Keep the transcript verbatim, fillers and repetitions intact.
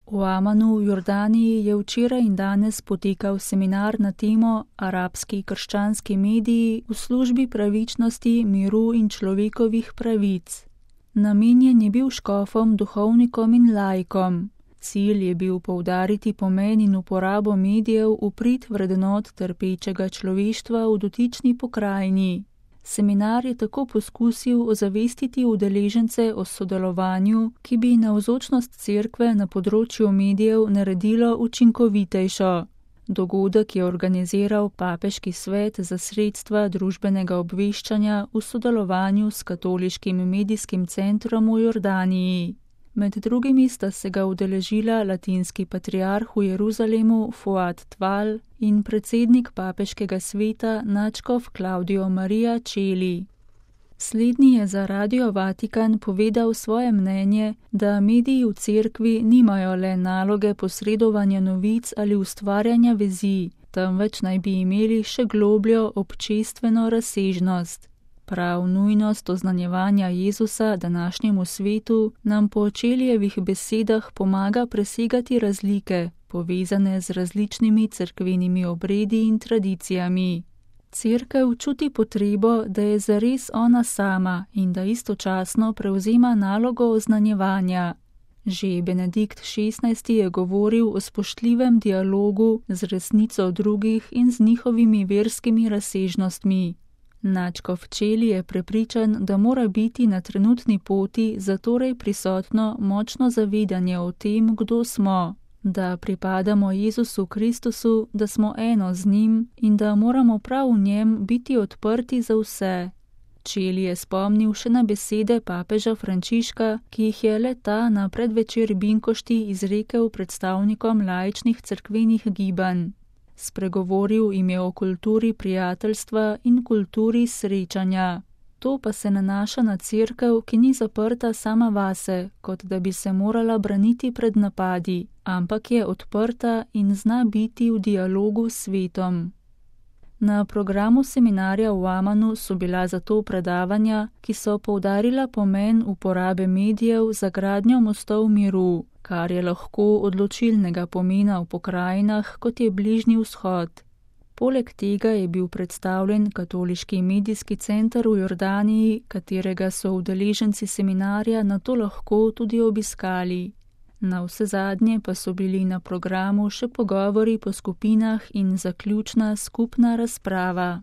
V Amanu v Jordaniji je včeraj in danes potekal seminar na temo Arabski krščanski mediji v službi pravičnosti, miru in človekovih pravic. Namenjen je bil škofom, duhovnikom in laikom. Cilj je bil poudariti pomen in uporabo medijev v prid vrednot trpečega človeštva v dotični pokrajini. Seminar je tako poskusil ozavestiti udeležence o sodelovanju, ki bi navzočnost cerkve na področju medijev naredilo učinkovitejšo. Dogodek je organiziral Papeški svet za sredstva družbenega obveščanja v sodelovanju s Katoliškim medijskim centrom v Jordaniji. Med drugimi sta se ga udeležila latinski patriarh v Jeruzalemu Fuad Tval in predsednik Papeškega sveta nadškof Claudio Maria Celi. Slednji je za Radio Vatikan povedal svoje mnenje, da mediji v cerkvi nimajo le naloge posredovanja novic ali ustvarjanja vezi, temveč naj bi imeli še globljo občestveno razsežnost. Prav nujnost oznanjevanja Jezusa današnjemu svetu nam po Čelijevih besedah pomaga presegati razlike, povezane z različnimi cerkvenimi obredi in tradicijami. Cerkev čuti potrebo, da je zares ona sama in da istočasno prevzema nalogo oznanjevanja. Že Benedikt šestnajsti je govoril o spoštljivem dialogu z resnico drugih in z njihovimi verskimi razsežnostmi. Nadškof Celi je prepričan, da mora biti na trenutni poti zatorej prisotno močno zavedanje o tem, kdo smo, da pripadamo Jezusu Kristusu, da smo eno z njim in da moramo prav v njem biti odprti za vse. Celi je spomnil še na besede papeža Frančiška, ki jih je le ta na predvečer Binkošti izrekel predstavnikom laičnih cerkvenih gibanj. Spregovoril jim je o kulturi prijateljstva in kulturi srečanja. To pa se nanaša na cerkev, ki ni zaprta sama vase, kot da bi se morala braniti pred napadi, ampak je odprta in zna biti v dialogu s svetom. Na programu seminarja v Amanu so bila zato predavanja, ki so poudarila pomen uporabe medijev za gradnjo mostov miru, kar je lahko odločilnega pomena v pokrajinah, kot je Bližnji vzhod. Poleg tega je bil predstavljen Katoliški medijski center v Jordaniji, katerega so udeleženci seminarja nato lahko tudi obiskali. Navsezadnje pa so bili na programu še pogovori po skupinah in zaključna skupna razprava.